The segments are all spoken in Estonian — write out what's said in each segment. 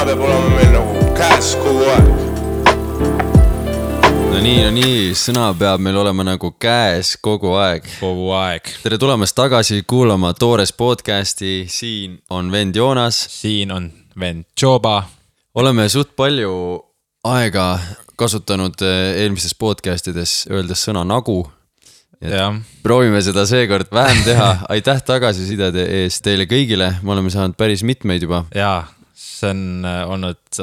peab olema meil nagu käes kogu aeg. No nii, sõna peab meil olema nagu käes kogu aeg. Kogu aeg. Tere tulemast tagasi kuulama Toores podcasti. Siin on vend Joonas. Siin on vend Joba. Oleme suht palju aega kasutanud eelmistes podcastides öeldes sõna nagu. Proovime seda seekord vähem teha. Aitäh tagasisidede eest teile kõigile. Me oleme saanud päris mitmeid juba. Jaa, see on olnud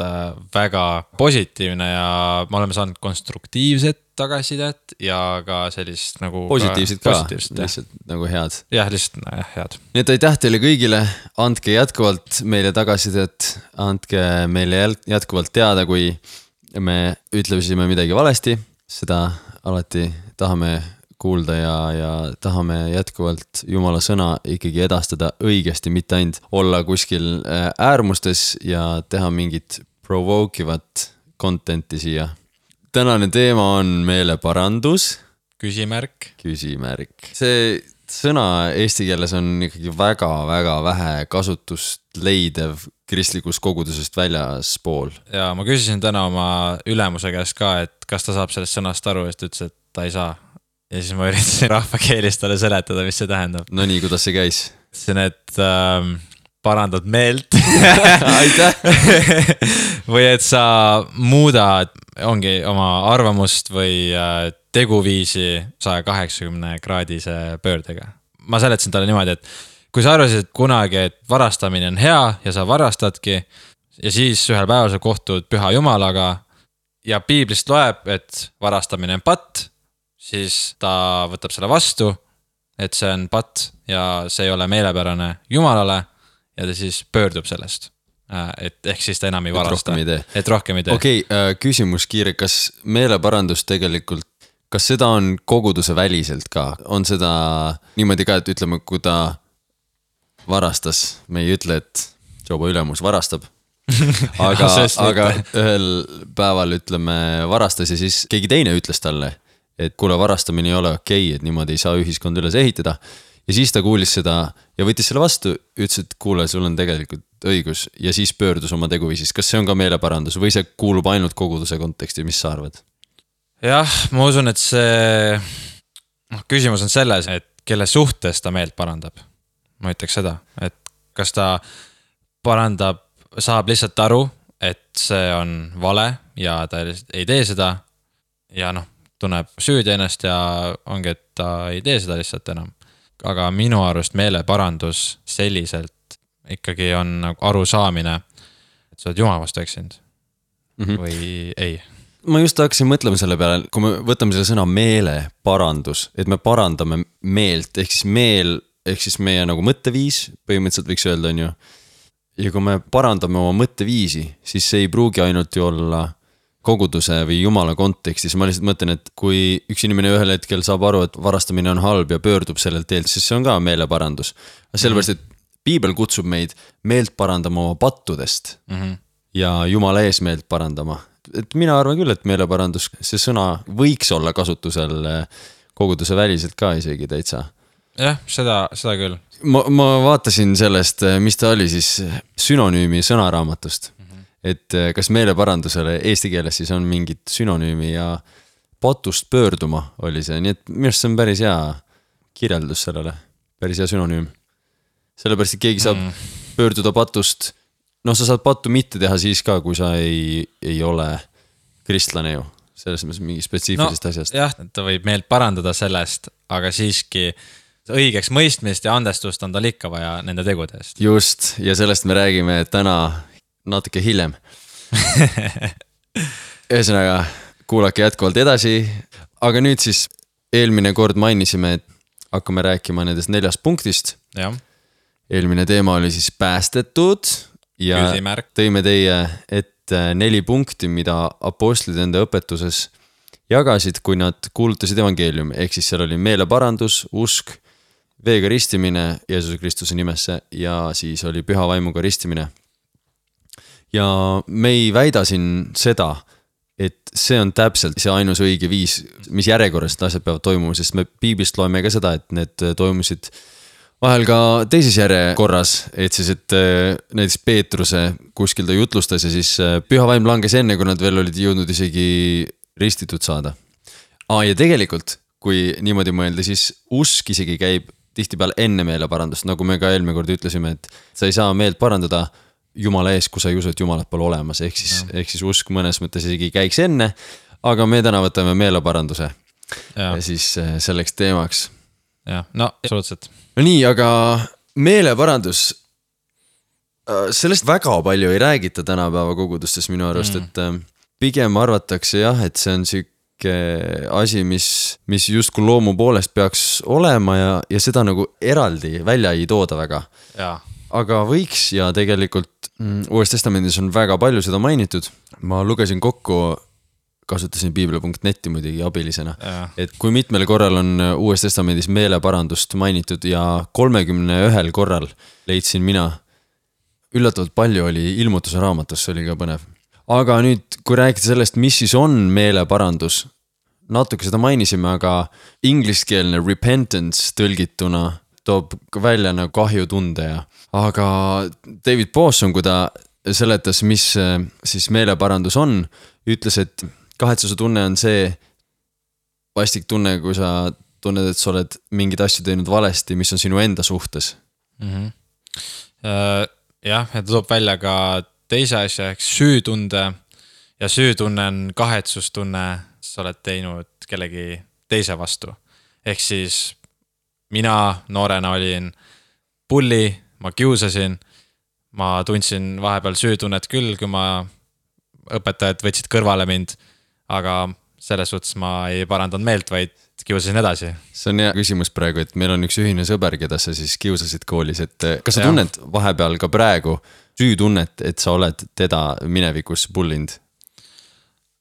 väga positiivne ja me oleme saanud konstruktiivset tagasisidet ja ka sellist nagu positiivset ka, lihtsalt nagu head. Jah, lihtsalt head. Nii et aitäh teile kõigile, andke jätkuvalt meile tagasisidet, andke meile jätkuvalt teada, kui me ütlesime midagi valesti, seda alati tahame kuulda ja tahame jätkuvalt Jumala sõna ikkagi edastada õigesti, mitte ainult olla kuskil äärmustes ja teha mingit provokivat contenti siia. Tänane teema on meeleparandus. Küsimärk. See sõna eesti keeles on ikkagi väga vähe kasutust leidev kristlikust kogudusest väljaspool. Ja ma küsisin täna oma ülemuse käest ka, et kas ta saab sellest sõnast aru, et ütles, et ta ei saa. Ja siis ma üritasin rahvakeelis talle seletada, mis see tähendab. No nii, kuidas see käis? Ütlesin, et parandad meelt. Aitäh! Või et sa muudad ongi oma arvamust või teguviisi 180 kraadise pöördega. Ma seletasin talle niimoodi, et kui sa arvasid kunagi, et varastamine on hea ja sa varastadki ja siis ühel päeval sa kohtud püha Jumalaga ja piiblist loeb, et varastamine on patt, siis ta võtab selle vastu, et see on patt ja see ei ole meelepärane Jumalale ja ta siis pöördub sellest. Et ehk siis ta enam ei varasta. Et rohkem ei tee. Okei, küsimus kiire, kas meeleparandus tegelikult, kas seda on koguduse väliselt ka? On seda niimoodi ka, et ütleme, kui ta varastas, me ei ütle, et Joba ülemus varastab, aga ühel päeval ütleme varastas ja siis keegi teine ütles talle, et kuule, varastamine ei ole okei, et niimoodi ei saa ühiskond üles ehitada. Ja siis ta kuulis seda ja võttis selle vastu, ütles, et kuule, sul on tegelikult õigus ja siis pöördus oma teguviisis. Kas see on ka meeleparandus või see kuulub ainult koguduse konteksti, mis sa arvad? Jah, ma usun, et see küsimus on selles, et kelle suhtes ta meelt parandab. Ma ütleks seda, et kas ta parandab, saab lihtsalt aru, et see on vale ja ta ei tee seda ja tunneb süüdi ennast ja ongi, et ta ei tee seda lihtsalt enam. Aga minu arust meeleparandus selliselt ikkagi on aru saamine, et sa oled Jumala vastu eksinud või ei. Ma just hakkasin mõtlema selle peale, kui me võtame selle sõna meeleparandus, et me parandame meelt, ehk siis meie nagu mõtteviis, põhimõtteliselt võiks öelda, on ju. Ja kui me parandame oma mõtteviisi, siis see ei pruugi ainult ju olla koguduse või Jumala kontekstis. Ma lihtsalt mõtlen, et kui üks inimene ühel hetkel saab aru, et varastamine on halb ja pöördub sellelt teelt, siis see on ka meeleparandus. Sellepärast, et Piibel kutsub meid meelt parandama oma pattudest ja Jumala ees meelt parandama. Et mina arvan küll, et meeleparandus, see sõna võiks olla kasutusel koguduse väliselt ka isegi täitsa. Jah, seda küll. Ma vaatasin sellest, mis ta oli siis sünonüümi sõnaraamatust. Et kas meeleparandusele eesti keeles siis on mingit sünonüümi ja patust pöörduma oli see. Nii et minu arust see on päris hea kirjeldus sellele, päris hea sünonüüm. Sellepärast, et keegi saab pöörduda patust, sa saad pattu mitte teha siis ka, kui sa ei ole kristlane ju. Selles mõttes mingi spetsiifilisest asjast. Jah, ta võib meelt parandada sellest, aga siiski õigeks mõistmist ja andestust on tal ikka vaja nende tegudest. Just, ja sellest me räägime täna natuke hiljem. Ühesõnaga, kuulake jätkuvalt edasi. Aga nüüd siis eelmine kord mainisime, et hakkame rääkima nendest 4 punktist. Ja. Eelmine teema oli siis päästetud ja Küsimärk. Tõime teie ette 4 punkti, mida apostlid enda õpetuses jagasid, kui nad kuulutasid evangeeliumi. Ehk siis seal oli meeleparandus, usk, veega ristimine Jeesuse Kristuse nimesse ja siis oli püha vaimuga ristimine. Ja me ei väida siin seda, et see on täpselt see ainus õige viis, mis järjekorras asjad peavad toimuma, sest me piiblist loeme ka seda, et need toimusid vahel ka teises järjekorras, et siis, et näiteks Peetruse kuskil ta jutlustas ja siis püha vaim langes enne, kui nad veel olid jõudnud isegi ristitud saada. Ja tegelikult, kui niimoodi mõelda, siis usk isegi käib tihtipeale enne meeleparandust, nagu me ka eelmine kord ütlesime, et sa ei saa meelt parandada Jumala ees, kui sa ei usu, et Jumalat pole olemas, ehk siis usk mõnes mõttes isegi käiks enne, aga me täna võtame meeleparanduse ja siis selleks teemaks. Ja, no, absoluutselt. No nii, aga meeleparandus, sellest väga palju ei räägita tänapäeva kogudustes minu arust, et pigem arvatakse jah, et see on siuke asi, mis justkui loomu poolest peaks olema ja seda nagu eraldi välja ei tooda väga. Ja. Aga võiks ja tegelikult Uues Testamendis on väga palju seda mainitud. Ma lugesin kokku, kasutasin piibel.neti muidugi abilisena, et kui mitmel korral on Uues Testamendis meeleparandust mainitud ja 31 korral leidsin mina. Üllatavalt palju oli Ilmutuse raamatus, see oli ka põnev. Aga nüüd, kui rääkida sellest, mis siis on meeleparandus, natuke seda mainisime, aga ingliskeelne repentance tõlgituna toob välja nagu kahjutunde ja aga David Pawson, kui ta seletas, mis siis meeleparandus on, ütles, et kahetsuse tunne on see vastik tunne, kui sa tunned, et sa oled mingid asju teinud valesti, mis on sinu enda suhtes. Jah, ja ta toob välja ka teise asja ehk süütunde ja süütunne on kahetsustunne, sa oled teinud kellegi teise vastu. Ehk siis mina noorena olin pulli, ma kiusasin, ma tundsin vahepeal süütunnet küll, kui ma õpetajad võtsid kõrvale mind, aga selles suhtes ma ei parandanud meelt, vaid kiusasin edasi. See on hea küsimus praegu, et meil on üks ühine sõber, keda sa siis kiusasid koolis, et kas sa tunned vahepeal ka praegu süütunnet, et sa oled teda minevikus pullinud?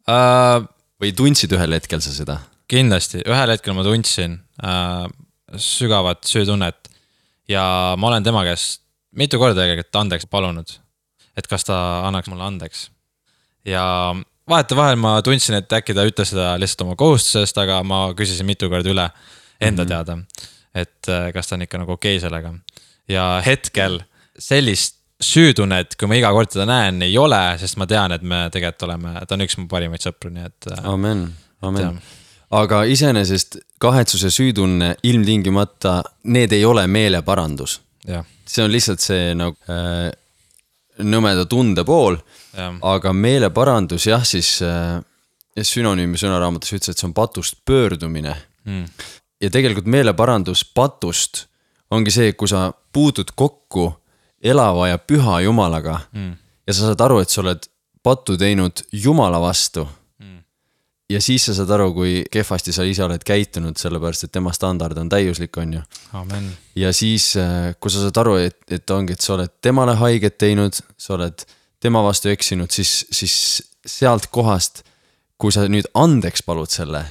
Või tundsid ühel hetkel sa seda? Kindlasti, ühel hetkel ma tundsin sügavat süütunnet ja ma olen tema käest mitu korda tegelikult andeks palunud, et kas ta annaks mulle andeks. Ja vahetevahel ma tundsin, et äkki ta ütles seda lihtsalt oma kohustusest, aga ma küsisin mitu korda üle enda teada, et kas ta on ikka nagu okei sellega. Ja hetkel sellist süütunnet, kui ma iga kord teda näen, ei ole, sest ma tean, et me tegelikult oleme, ta on üks mu parimaid sõpru, nii et Amen. Aga iseenesest kahetsuse süütunne ilmtingimata, need ei ole meeleparandus. Ja. See on lihtsalt see nagu nõmeda tunde pool, aga meeleparandus jah, siis sünonüümi sõnaraamatus ütles, et see on patust pöördumine. Ja tegelikult meeleparandus patust ongi see, kui sa puutud kokku elava ja püha Jumalaga ja sa saad aru, et sa oled pattu teinud Jumala vastu. Ja siis sa saad aru, kui kehvasti sa ise oled käitunud, sellepärast, et tema standard on täiuslik, on ju. Amen. Ja siis, kui sa saad aru, et ongi, et sa oled temale haiget teinud, sa oled tema vastu eksinud, siis sealt kohast, kui sa nüüd andeks palud selle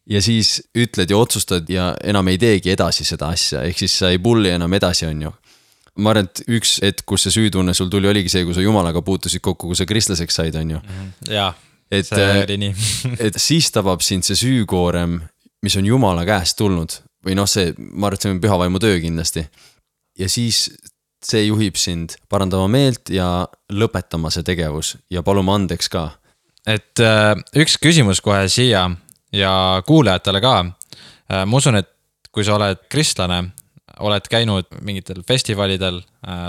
ja siis ütled ja otsustad ja enam ei teegi edasi seda asja, ehk siis sa ei pulli enam edasi, on ju. Ma arvan, et üks hetk, kus see süütunne sul tuli, oligi see, kui sa Jumalaga puutusid kokku, kui sa kristlaseks said, on ju. Jaa. Et siis tabab sind see süükoorem, mis on Jumala käest tulnud või noh, see, ma arvan, et see on püha vaimu töö kindlasti ja siis see juhib sind parandama meelt ja lõpetama see tegevus ja paluma andeks ka. Et üks küsimus kohe siia ja kuulajatele ka. Ma usun, et kui sa oled kristlane, oled käinud mingitel festivalidel,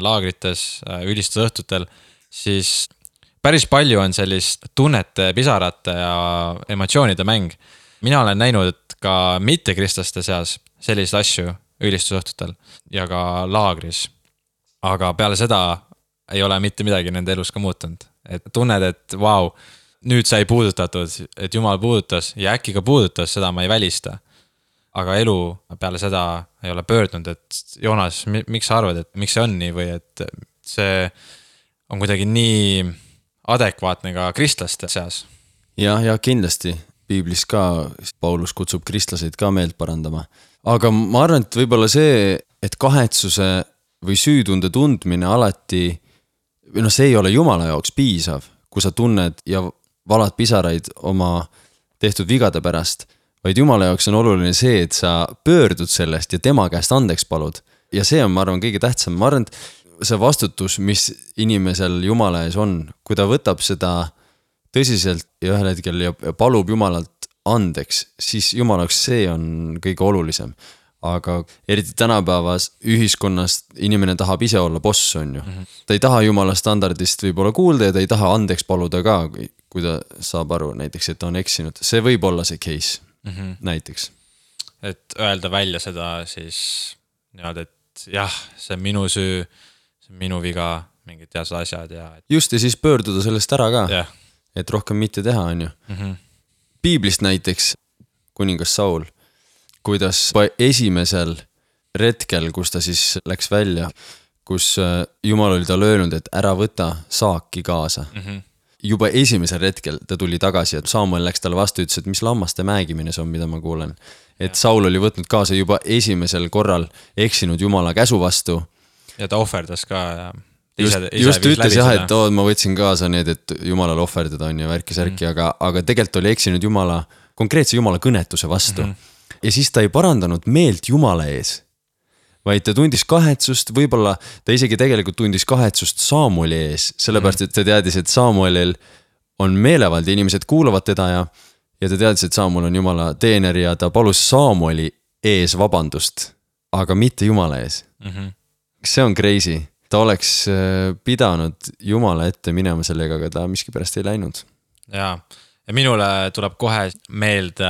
laagrites, ülistusõhtutel, siis päris palju on sellist tunnete, pisarate ja emotsioonide mäng. Mina olen näinud ka mittekristlaste seas selliseid asju ülistusõhtutel ja ka laagris. Aga peale seda ei ole mitte midagi nende elus ka muutunud. Et tunned, et vau, nüüd sai puudutatud, et Jumal puudutas ja äkki ka puudutas, seda ma ei välista. Aga elu peale seda ei ole pöördunud, et Joonas, miks sa arvad, et miks see on nii või et see on kuidagi nii adekvaatne ka kristlaste seas. Ja kindlasti piiblis ka Paulus kutsub kristlaseid ka meelt parandama. Aga ma arvan, et võib-olla see, et kahetsuse või süütunde tundmine alati, või noh, see ei ole Jumala jaoks piisav, kui sa tunned ja valad pisaraid oma tehtud vigade pärast, vaid Jumala jaoks on oluline see, et sa pöördud sellest ja tema käest andeks palud. ja see on, ma arvan, kõige tähtsam, ma arvan, et see vastutus, mis inimesel Jumala ees on, kui ta võtab seda tõsiselt ja ühel hetkel ja palub Jumalalt andeks, siis Jumalaks see on kõige olulisem. Aga eriti tänapäevas ühiskonnas inimene tahab ise olla boss, on ju. Ta ei taha Jumala standardist võib-olla kuulda ja ta ei taha andeks paluda ka, kui ta saab aru näiteks, et ta on eksinud. See võib olla see case näiteks. Et öelda välja seda siis niimoodi, et jah, see on minu süü, see on minu viga, mingid teased asjad ja... Just ja siis pöörduda sellest ära ka, yeah. Et rohkem mitte teha, on ju. Piiblist näiteks kuningas Saul, kuidas esimesel retkel, kus ta siis läks välja, kus Jumal oli talle öelnud, et ära võta saaki kaasa. Juba esimesel retkel ta tuli tagasi, et Samuel läks talle vastu, ütles, et mis lammaste mäэгimine see on, mida ma kuulen. Et Saul oli võtnud kaasa juba esimesel korral eksinud Jumala käsu vastu. Ja ta ohverdas ka ja just ütles jah, et ma võtsin kaasa need, et Jumalale ohverdada on ja värki-särki, aga tegelikult oli eksinud konkreetse Jumala kõnetuse vastu. Ja siis ta ei parandanud meelt Jumala ees, vaid ta tundis kahetsust, võib-olla ta isegi tegelikult tundis kahetsust Samueli ees, sellepärast, et ta teadis, et Samuelil on meelevald ja inimesed kuulavad teda ja ta teadis, et Samuel on Jumala teener ja ta palus Samueli ees vabandust, aga mitte Jumala ees. See on crazy. Ta oleks pidanud Jumala ette minema sellega, aga ta miskipärast ei läinud. Jaa. Ja minule tuleb kohe meelde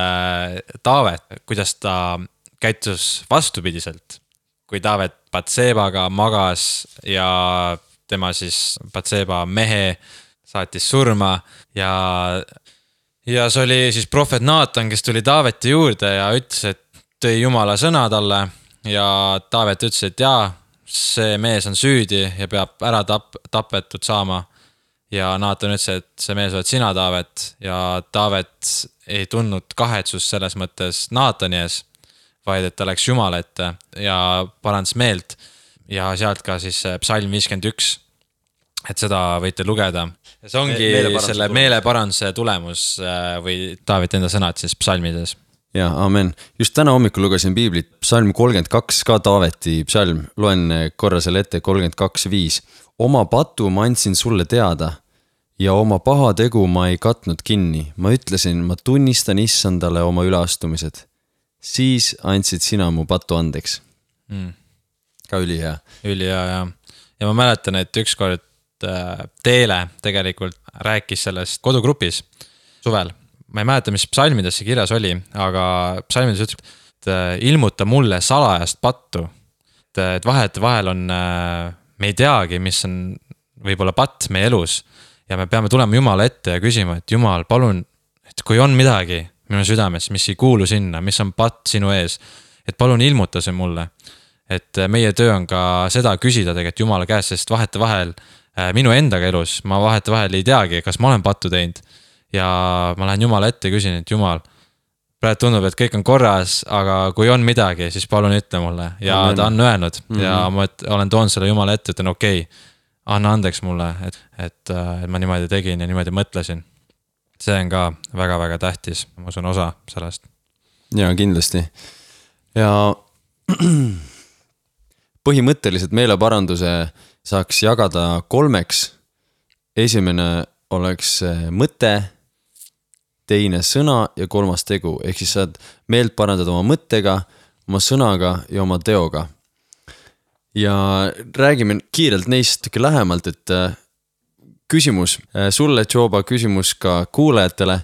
Taavet, kuidas ta käitus vastupidiselt. Kui Taavet Batsebaga magas ja tema siis Batseba mehe saatis surma ja see oli siis prohvet Naatan, kes tuli Taaveti juurde ja ütles, et tõi Jumala sõna talle ja Taavet ütles, et jaa, see mees on süüdi ja peab ära tapetud saama. Ja Naatan ütles, et see mees oled sina, Taavet, ja Taavet ei tundnud kahetsust selles mõttes Naatani ees, vaid et ta läks Jumala ette ja parandas meelt ja sealt ka siis psalm 51, et seda võite lugeda. Ja see ongi selle meeleparanduse tulemus või Taavet enda sõnad siis psalmides. Ja, amen. Just täna hommikul lugesin piiblit, psalm 32, ka Taaveti psalm, loen korra selle ette 32.5. Oma patu ma andsin sulle teada ja oma paha tegu ma ei katnud kinni. Ma ütlesin, ma tunnistan issandale oma üleastumised. Siis andsid sina mu patu andeks. Ka ülihea. Ülihea, ja. Ja ma mäletan, et ükskord Teele tegelikult rääkis sellest kodugrupis suvel. Ma ei mäleta, mis psalmides see kirjas oli, aga psalmides ütleb, et ilmuta mulle salajast pattu. Et vahel on, me ei teagi, mis on võib-olla patt meie elus ja me peame tulema Jumala ette ja küsima, et Jumal, palun, et kui on midagi minu südames, mis ei kuulu sinna, mis on patt sinu ees, et palun ilmuta see mulle. Et meie töö on ka seda küsida tegelikult Jumala käest, sest vahel minu endaga elus, ma vahel ei teagi, kas ma olen pattu teinud ja ma lähen Jumala ette ja küsin, et Jumal, praegu tundub, et kõik on korras, aga kui on midagi, siis palun ütle mulle. Ja ta on öelnud ja ma olen toonud selle Jumala ette, ütlen okei, anna andeks mulle, et ma niimoodi tegin ja niimoodi mõtlesin. See on ka väga-väga tähtis, ma usun osa sellest. Ja kindlasti. Ja põhimõtteliselt meeleparanduse saaks jagada 3. Esimene oleks mõte, teine sõna ja 3. tegu. Ehk siis saad meelt parandada oma mõttega, oma sõnaga ja oma teoga. Ja räägime kiirelt neist lähemalt, et küsimus sulle, Joba, küsimus ka kuulajatele.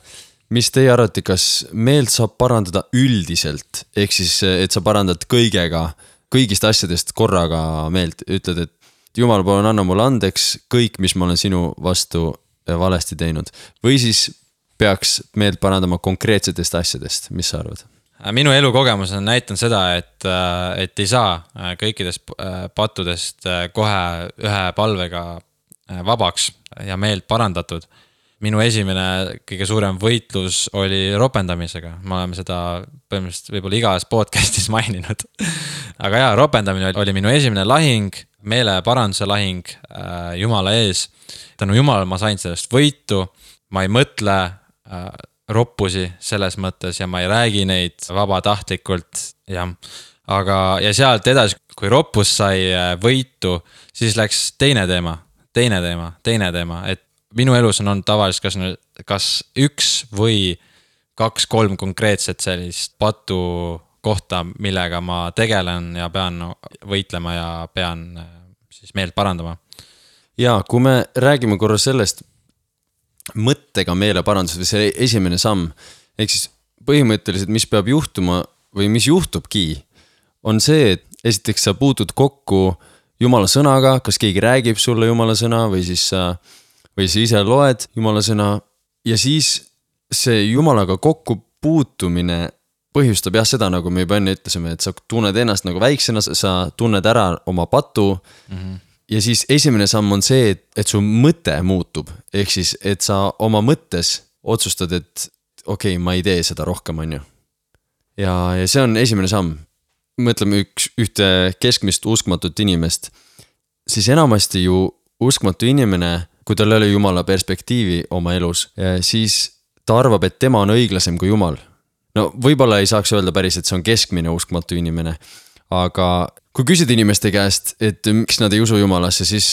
Mis teie arvate, kas meelt saab parandada üldiselt? Ehk siis, et sa parandad kõigist asjadest korraga meelt. Ütled, et Jumal, palun anna mulle andeks kõik, mis ma olen sinu vastu valesti teinud. Või siis peaks meelt parandama konkreetsetest asjadest. Mis sa arvad? Minu elukogemus on näitanud seda, et ei saa kõikidest pattudest kohe ühe palvega vabaks ja meelt parandatud. Minu esimene kõige suurem võitlus oli ropendamisega. Me oleme seda põhimõtteliselt võib-olla igas podcastis maininud. Aga jaa, ropendamine oli minu esimene lahing, meeleparanduse lahing Jumala ees. Tänu Jumal ma sain sellest võitu, ma ei mõtle roppusi selles mõttes ja ma ei räägi neid vabatahtlikult. Ja. aga, ja sealt edasi, kui Ropus sai võitu, siis läks teine teema, et minu elus on olnud tavaliselt kas üks või 2-3 konkreetset sellist patu kohta, millega ma tegelen ja pean võitlema ja pean siis meelt parandama. Ja kui me räägime korra sellest mõttega meeleparandusest või see esimene samm, ehk siis põhimõtteliselt, mis peab juhtuma või mis juhtubki, on see, et esiteks sa puutud kokku Jumala sõnaga, kas keegi räägib sulle Jumala sõna või siis sa ise loed Jumala sõna ja siis see Jumalaga kokku puutumine põhjustab jah seda, nagu me juba enne ütlesime, et sa tunned ennast nagu väiksena, sa tunned ära oma patu ja siis esimene samm on see, et su mõte muutub, ehk siis, et sa oma mõttes otsustad, et okei, ma ei tee seda rohkem, on ju. Ja see on esimene samm. Mõtleme ühte keskmist uskmatut inimest, siis enamasti ju uskmatu inimene, kui tal ei ole Jumala perspektiivi oma elus, siis ta arvab, et tema on õiglasem kui Jumal. No võib-olla ei saaks öelda päris, et see on keskmine uskmatu inimene, aga kui küsida inimeste käest, et miks nad ei usu Jumalasse, siis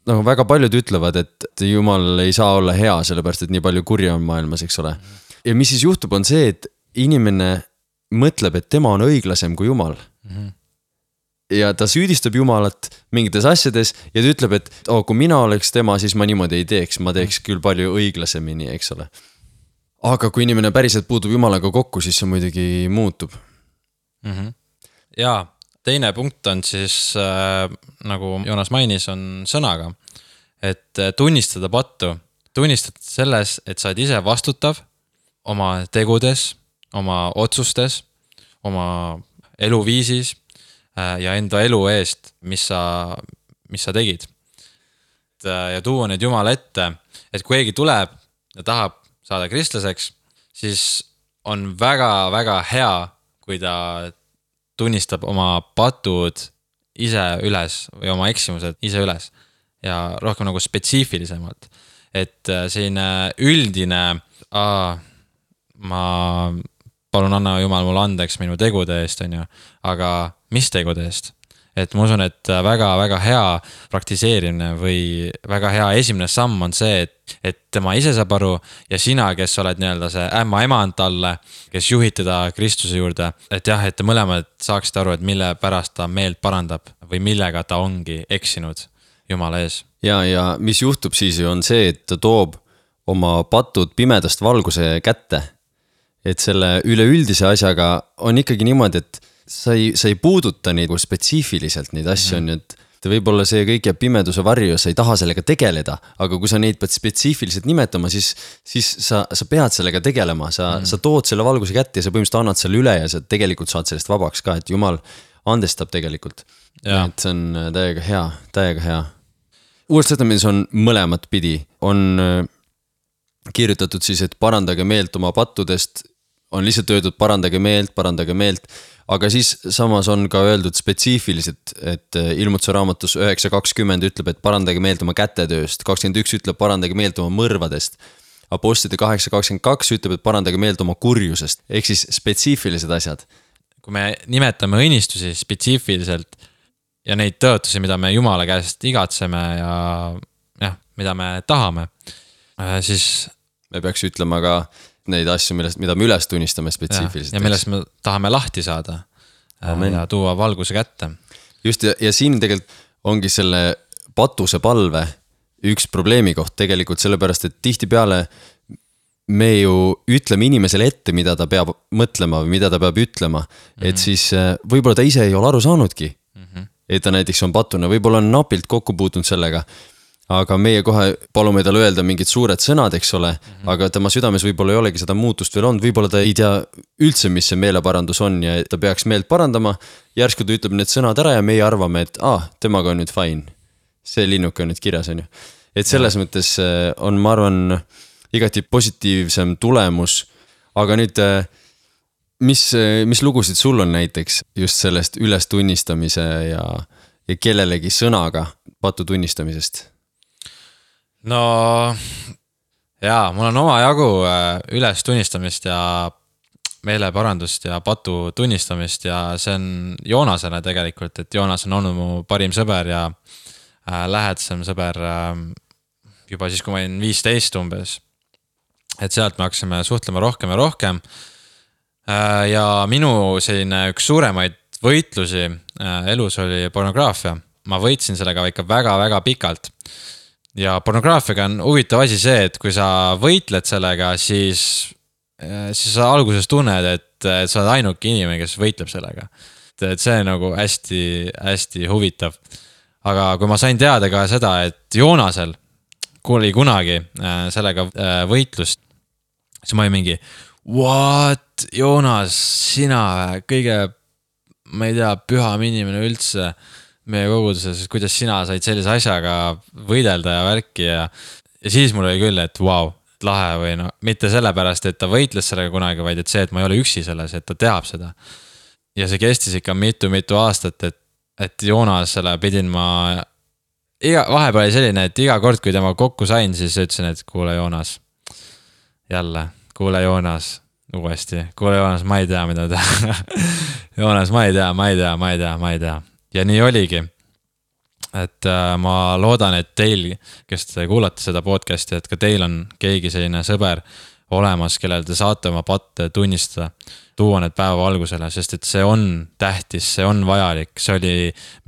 väga paljud ütlevad, et Jumal ei saa olla hea, sellepärast et nii palju kurja on maailmas, eks ole. Ja mis siis juhtub, on see, et inimene mõtleb, et tema on õiglasem kui Jumal. Ja ta süüdistab Jumalat mingites asjades ja ta ütleb, et kui mina oleks tema, siis ma niimoodi ei teeks, ma teeks küll palju õiglasemini, eks ole. Aga kui inimene päriselt puutub Jumalaga kokku, siis see muidugi muutub. Ja teine punkt on siis, nagu Joonas mainis, on sõnaga. Et tunnistada pattu, tunnistada selles, et sa oled ise vastutav oma tegudes, oma otsustes, oma eluviisis ja enda elu eest, mis sa tegid. Ja tuua need Jumala ette, et kui keegi tuleb ja tahab saada kristlaseks, siis on väga-väga hea, kui ta tunnistab oma patud ise üles või oma eksimused ise üles ja rohkem nagu spetsiifilisemalt. Et selline üldine, ma palun anna Jumal mulle andeks minu tegude eest, on ju, aga mis tegude eest? Et ma usun, et väga-väga hea praktiseerimine või väga hea esimene samm on see, et tema ise saab aru ja sina, kes oled nii-öelda see emand talle, kes juhid teda Kristuse juurde, et jah, et te mõlemad saaksite aru, et mille pärast ta meelt parandab või millega ta ongi eksinud Jumala ees. Ja mis juhtub siis on see, et ta toob oma patud pimedast valguse kätte. Et selle üleüldise asjaga on ikkagi niimoodi, et sa ei puuduta neid spetsiifiliselt neid asju on, et võib-olla see kõik jääb pimeduse varju, sa ei taha sellega tegeleda, aga kui sa neid pead spetsiifiliselt nimetama, siis sa pead sellega tegelema, sa tood selle valguse kätte ja sa põhimõtteliselt annad selle üle ja sa tegelikult saad sellest vabaks ka, et Jumal andestab tegelikult. Et see on täiega hea. Uues Testamendis on mõlemat pidi, on kirjutatud siis, et parandage meelt oma pattudest, on lihtsalt öeldud parandage meelt, aga siis samas on ka öeldud spetsiifiliselt, et Ilmutuse raamatus 9.20 ütleb, et parandage meelt oma kätetööst, 21 ütleb parandage meelt oma mõrvadest, Apostlite 8.22 ütleb, et parandage meelt oma kurjusest, ehk siis spetsiifilised asjad. Kui me nimetame õnnistusi spetsiifiliselt ja neid tõotusi, mida me Jumala käest igatseme ja mida me tahame, siis me peaks ütlema ka neid asju, mida me üles tunnistame spetsiifiliselt. Ja millest me tahame lahti saada. Amen. Ja tuua valguse kätte. Just ja siin tegelikult ongi selle patuse palve üks probleemi koht tegelikult sellepärast, et tihtipeale me ju ütleme inimesele ette, mida ta peab mõtlema või mida ta peab ütlema, et siis võib-olla ta ise ei ole aru saanudki, et ta näiteks on patuna, võib-olla on napilt kokku puutunud sellega, aga meie kohe palume tal öelda mingid suured sõnad, eks ole, aga tema südames võib-olla ei olegi seda muutust veel olnud, võib-olla ta ei tea üldse, mis see meeleparandus on ja ta peaks meelt parandama, järsku ta ütleb need sõnad ära ja meie arvame, et temaga on nüüd fine, see linnuke on nüüd kirjas, on ju. Et selles mõttes on, ma arvan, igati positiivsem tulemus, aga nüüd, mis lugusid sul on näiteks just sellest ülestunnistamise ja kellelegi sõnaga patu tunnistamisest? No jaa, mul on omajagu üles tunnistamist ja meeleparandust ja patu tunnistamist ja see on Joonasele tegelikult, et Joonas on olnud mu parim sõber ja lähedasem sõber juba siis, kui ma olin 15 umbes. Et sealt me hakkasime suhtlema rohkem ja rohkem. Ja minu selline üks suuremaid võitlusi elus oli pornograafia. Ma võitsin sellega ikka väga-väga pikalt. Ja pornograafiaga on huvitav asi see, et kui sa võitled sellega, siis sa alguses tunned, et sa oled ainuke inimene, kes võitleb sellega. Et see on nagu hästi, hästi huvitav. Aga kui ma sain teada ka seda, et Joonasel oli kunagi sellega võitlust, siis ma olin mingi, what, Joonas, sina kõige, ma ei tea, püham inimene üldse meie koguduses, kuidas sina said sellise asjaga võidelda ja värki ja siis mul oli küll, et vau, lahe või no, mitte sellepärast, et ta võitles sellega kunagi, vaid et see, et ma ei ole üksi selles, et ta teab seda. Ja see kestis ikka mitu aastat, et Joonasele pidin ma, vahepeal oli selline, et iga kord, kui tema kokku sain, siis ütlesin, et kuule Joonas, jälle, kuule Joonas, uuesti, kuule Joonas, ma ei tea, mida teha. Joonas, ma ei tea. Ja nii oligi, et ma loodan, et teil, kes te kuulate seda podcasti, et ka teil on keegi selline sõber olemas, kellel te saate oma patte tunnistada, tuua need päeva algusele, sest et see on tähtis, see on vajalik, see oli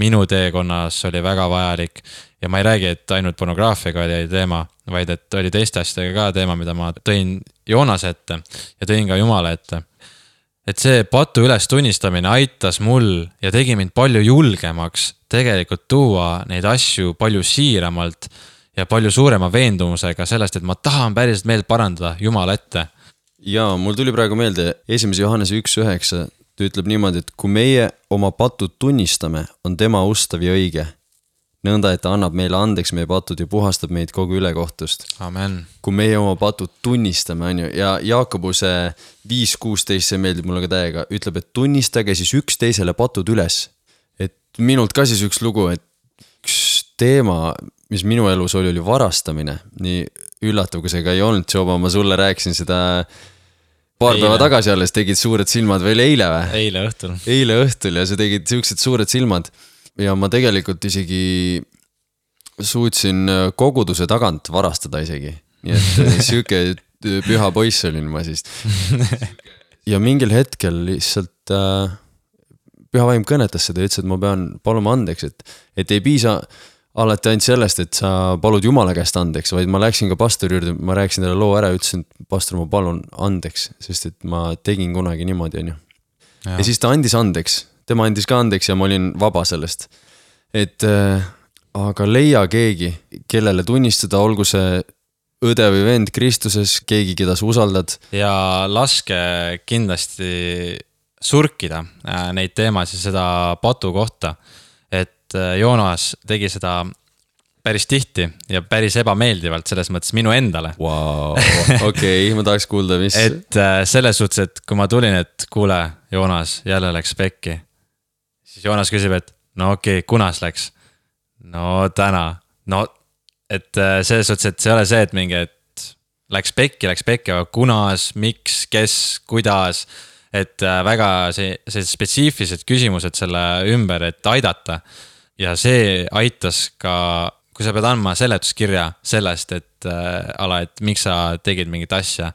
minu teekonnas, see oli väga vajalik ja ma ei räägi, et ainult pornograafiaga oli teema, vaid et oli teiste asjadega ka teema, mida ma tõin Joonase ette ja tõin ka Jumala ette. Et see patu üles tunnistamine aitas mul ja tegi mind palju julgemaks tegelikult tuua neid asju palju siiramalt ja palju suurema veendumusega sellest, et ma tahan päriselt meelt parandada Jumala ette. Ja mul tuli praegu meelde 1. Johannese 1.9, ta ütleb niimoodi, et kui meie oma patud tunnistame, on tema ustav ja õige. Nõnda, et ta annab meile andeks meie patud ja puhastab meid kogu ülekohtust. Amen. Kui meie oma patud tunnistame, on ju, ja Jaakobuse 5.16, see meeldib mulle ka täiega, ütleb, et tunnistage siis üksteisele patud üles. Et minult ka siis üks lugu, et üks teema, mis minu elus oli varastamine. Nii üllatav, kui see ka ei olnud, Joba, ma sulle rääkisin seda paar päeva tagasi alles, tegid suured silmad veel eile või? Eile õhtul ja sa tegid siuksed suured silmad. Ja ma tegelikult isegi suutsin koguduse tagant varastada isegi. Nii et siuke püha poiss olin ma siis. Ja mingil hetkel lihtsalt püha vaim kõnetas seda ja ütles, et ma pean paluma andeks, et ei piisa alati ainult sellest, et sa palud Jumala käest andeks, vaid ma läksin ka pastori juurde, ma rääkisin talle loo ära ja ütlesin, et pastor, ma palun andeks, sest et ma tegin kunagi niimoodi, on ju. Ja siis ta andis andeks. Tema andis ka andeks ja ma olin vaba sellest. Et aga leia keegi, kellele tunnistada, olgu see õde või vend Kristuses, keegi, keda sa usaldad. Ja laske kindlasti surkida neid teemasid seda patu kohta. Et Joonas tegi seda päris tihti ja päris ebameeldivalt selles mõttes minu endale. Wow, okei, ma tahaks kuulda, mis... Et selles suhtes, et kui ma tulin, et kuule, Joonas, jälle läks pekki. Siis Joonas küsib, et no okei, kunas läks? No täna. No, et selles suhtes, et see ei ole see, et mingi, et läks pekki, aga kunas, miks, kes, kuidas, et väga see spetsiifilised küsimused selle ümber, et aidata. Ja see aitas ka, kui sa pead andma seletuskirja sellest, et miks sa tegid mingit asja,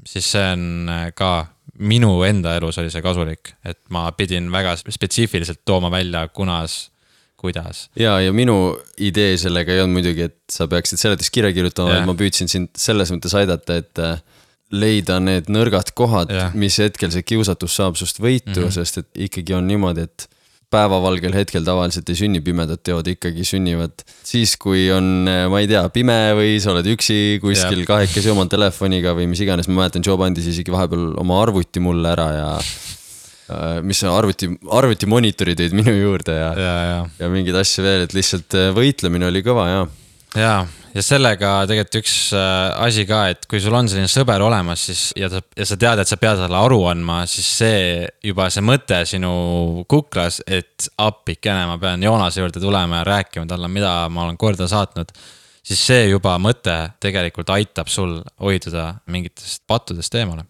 siis see on ka minu enda elus oli see kasulik, et ma pidin väga spetsiifiliselt tooma välja, kunas, kuidas. Ja minu idee sellega ei olnud muidugi, et sa peaksid seletuskirja kirjutama, et ma püüdsin sind selles mõttes aidata, et leida need nõrgad kohad, mis hetkel see kiusatus saab sust võitu, sest et ikkagi on niimoodi, et päevavalgel hetkel tavaliselt ei sünni pimedad teod, ikkagi sünnivad siis, kui on, ma ei tea, pime või sa oled üksi kuskil kahekesi oma telefoniga või mis iganes. Ma mäletan, Job andis isegi vahepeal oma arvuti mulle ära ja mis arvuti monitorid olid minu juurde ja mingid asju veel, et lihtsalt võitlemine oli kõva ja sellega tegelikult üks asi ka, et kui sul on selline sõber olemas siis, ja sa tead, et sa pead talle aru andma, siis see juba see mõte sinu kuklas, et appikene ma pean Joonase juurde tulema ja rääkima talle, mida ma olen korda saatnud, siis see juba mõte tegelikult aitab sul hoiduda mingitest pattudest eemale.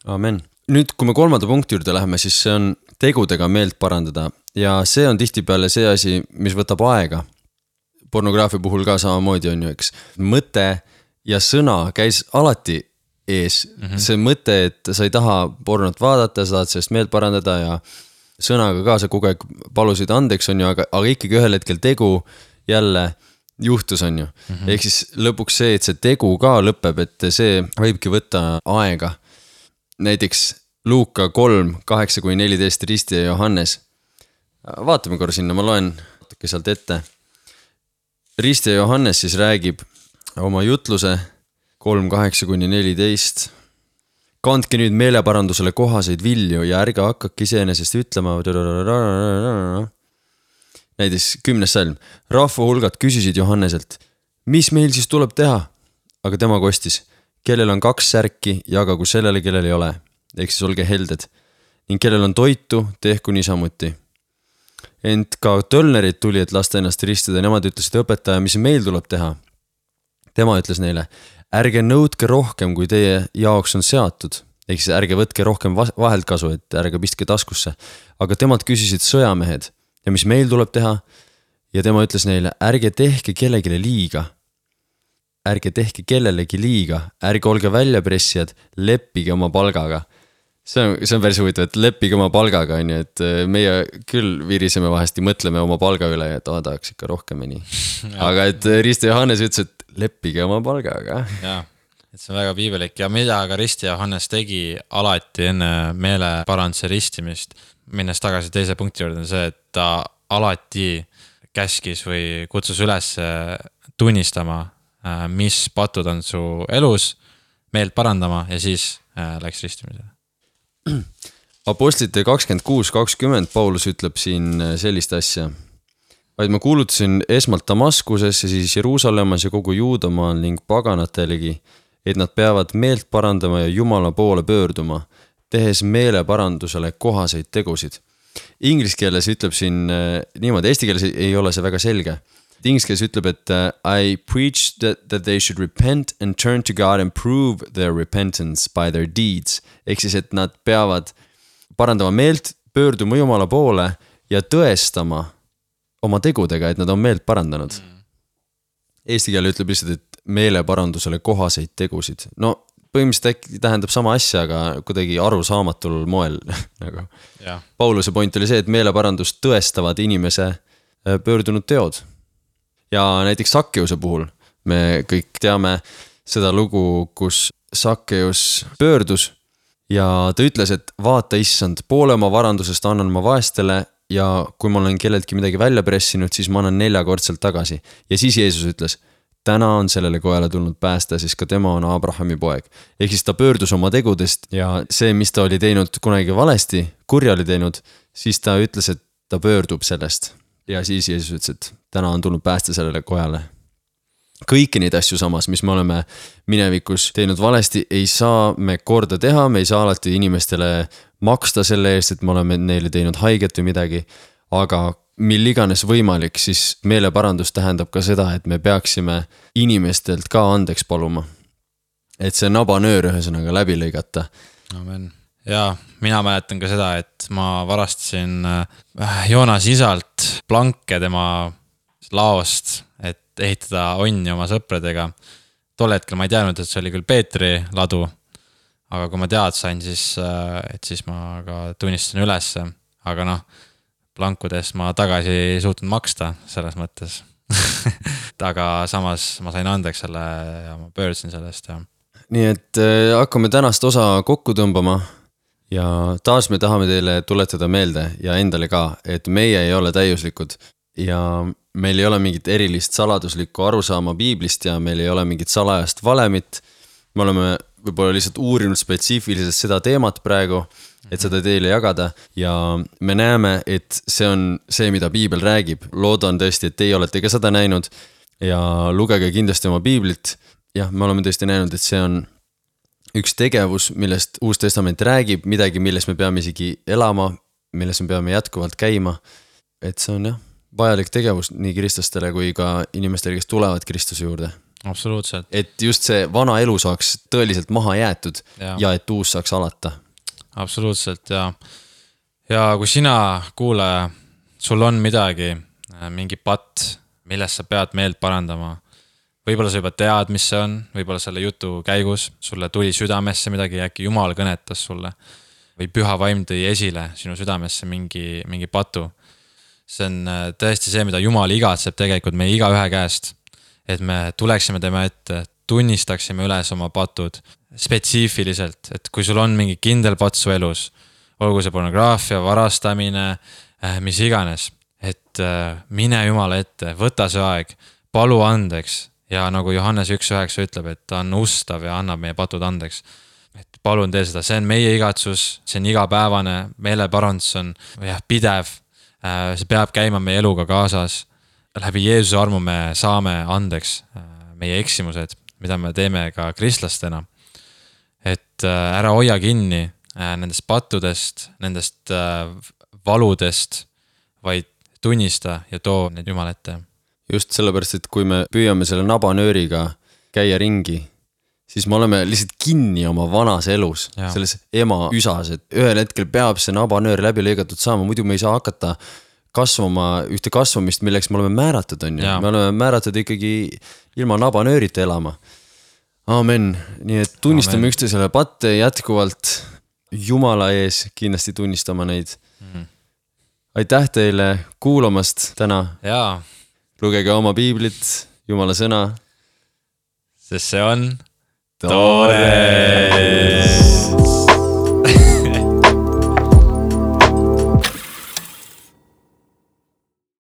Amen. nüüd, kui me 3. punkti juurde läheme, siis see on tegudega meelt parandada ja see on tihtipeale see asi, mis võtab aega. Pornograafia puhul ka samamoodi on ju, eks. Mõte ja sõna käis alati ees. See mõte, et sa ei taha pornot vaadata, sa tahad sellest meelt parandada ja sõnaga ka sa kogu aeg palusid andeks on ju, aga ikkagi ühel hetkel tegu jälle juhtus on ju. Ehk siis lõpuks see, et see tegu ka lõpeb, et see võibki võtta aega. Näiteks Luuka 3, 8-14 Risti ja Johannes. Vaatame korra sinna, ma loen natuke sealt ette. Risti ja Johannes siis räägib oma jutluse 3, 8-14. Kandke nüüd meeleparandusele kohaseid vilju ja ärge hakkake iseenesest ütlema. Näiteks 10. salm. Rahva hulgad küsisid Johanneselt, mis meil siis tuleb teha? Aga tema kostis, kellel on 2 särki, jagagu sellele, kellel ei ole. Ehk siis olge helded. Ning kellel on toitu, tehku niisamuti. Ent ka tölnerid tuli, et lasta ennast ristida. Nemad ütlesid õpetaja, mis meil tuleb teha. Tema ütles neile, ärge nõudke rohkem, kui teie jaoks on seatud. Ehk siis ärge võtke rohkem vahelt kasu, et ärge pistke taskusse. Aga temad küsisid sõjamehed. Ja mis meil tuleb teha? Ja tema ütles neile, ärge tehke kellegile liiga. Ärge tehke kellelegi liiga. Ärge olge väljapressijad, leppige oma palgaga. See on päris huvitav, et leppige oma palgaga, on ju, et meie küll viriseme vahest ja mõtleme oma palga üle, et tahaks ikka rohkemini. Aga et Risti Johannes ütles, et leppige oma palgaga. Jaa, et see on väga piibelik ja mida ka Risti Johannes tegi alati enne meeleparanduse ristimist, minnes tagasi teise punkti juurde, on see, et ta alati käskis või kutsus üles tunnistama, mis patud on su elus, meelt parandama ja siis läks ristimisele. Apostlite 26-20 Paulus ütleb siin sellist asja. Vaid ma kuulutasin esmalt Damaskuses ja siis Jeruusalemmas ja kogu Juudamaal ning paganatelegi, et nad peavad meelt parandama ja Jumala poole pöörduma, tehes meeleparandusele kohaseid tegusid. Inglise keeles ütleb siin niimoodi, eesti keeles ei ole see väga selge. Inglise keeles ütleb, et I preach that they should repent and turn to God and prove their repentance by their deeds. Ehk siis, et nad peavad parandama meelt, pöörduma Jumala poole ja tõestama oma tegudega, et nad on meelt parandanud. Eesti keel ütleb lihtsalt, et meeleparandusele kohaseid tegusid. No põhimõtteliselt äkki tähendab sama asja, aga kuidagi arusaamatul moel. Nagu. Pauluse point oli see, et meeleparandust tõestavad inimese pöördunud teod. Ja näiteks Sakkeuse puhul me kõik teame seda lugu, kus Sakkeus pöördus ja ta ütles, et vaata issand, poole oma varandusest annan ma vaestele ja kui ma olen kelleltki midagi välja pressinud, siis ma annan 4-kordselt tagasi. Ja siis Jeesus ütles, täna on sellele kojale tulnud päästa, siis ka tema on Abrahami poeg. Ehk siis ta pöördus oma tegudest ja see, mis ta oli teinud kunagi valesti, kurja oli teinud, siis ta ütles, et ta pöördub sellest. Ja siis Jeesus ütles, et täna on tulnud päästa sellele kojale. Kõiki neid asju samas, mis me oleme minevikus teinud valesti, ei saa me korda teha, me ei saa alati inimestele maksta selle eest, et me oleme neile teinud haiget või midagi, aga mil iganes võimalik, siis meeleparandus tähendab ka seda, et me peaksime inimestelt ka andeks paluma. Et see nabanöör ühesõnaga läbi lõigata. Amen. Ja mina mäletan ka seda, et ma varastasin Joonas isalt planke tema laost, et ehitada onni oma sõpradega. Tol hetkel ma ei teadnud, et see oli küll Peetri ladu, aga kui ma tead sain, siis ma ka tunnistasin üles, aga noh, plankudest ma tagasi ei suutnud maksta selles mõttes. Aga samas ma sain andeks selle ja ma pöördusin sellest. Ja. Nii et hakkame tänast osa kokku tõmbama ja taas me tahame teile tuletada meelde ja endale ka, et meie ei ole täiuslikud ja meil ei ole mingit erilist saladuslikku arusaama piiblist ja meil ei ole mingit salajast valemit. Me oleme võib-olla lihtsalt uurinud spetsiifiliselt seda teemat praegu, et seda teile jagada ja me näeme, et see on see, mida piibel räägib. Loodan tõesti, et teie olete ka seda näinud ja lugege kindlasti oma piiblit. Jah, me oleme tõesti näinud, et see on üks tegevus, millest Uus Testament räägib, midagi, milles me peame isegi elama, milles me peame jätkuvalt käima. Et see on jah, vajalik tegevus nii kristlastele kui ka inimestele, kes tulevad Kristuse juurde. Absoluutselt. Et just see vana elu saaks tõeliselt maha jäetud ja et uus saaks alata. absoluutselt ja kui sina kuulaja, sul on midagi, mingi patt, millest sa pead meelt parandama, võib-olla sa juba tead, mis see on, võib-olla selle jutu käigus sulle tuli südamesse midagi, äkki Jumal kõnetas sulle või püha vaim tõi esile sinu südamesse mingi patu. See on tõesti see, mida Jumal igatseb tegelikult meie igaühe käest, et me tuleksime tema ette, tunnistaksime üles oma patud spetsiifiliselt, et kui sul on mingi kindel patt su elus, olgu see pornograafia, varastamine, mis iganes, et mine Jumala ette, võta see aeg, palu andeks ja nagu Johannes 1.9 ütleb, et ta on ustav ja annab meie patud andeks. Et palun tee seda, see on meie igatsus, see on igapäevane, meeleparandus on pidev, see peab käima meie eluga kaasas. Läbi Jeesuse armu me saame andeks meie eksimused, mida me teeme ka kristlastena. Et ära hoia kinni nendest pattudest, nendest valudest, vaid tunnista ja too need Jumala ette. Just sellepärast, et kui me püüame selle nabanööriga käia ringi, siis me oleme lihtsalt kinni oma vanas elus, selles ema üsas, et ühel hetkel peab see nabanöör läbi lõigatud saama, muidu me ei saa hakata kasvama ühte kasvamist, milleks me oleme määratud, on ju. Me oleme määratud ikkagi ilma nabanöörita elama. Amen. Nii et tunnistame üksteisele patte jätkuvalt Jumala ees, kindlasti tunnistama neid. Aitäh teile kuulamast täna. Jaa. Lugege oma piiblit, Jumala sõna. Sest see on Toores.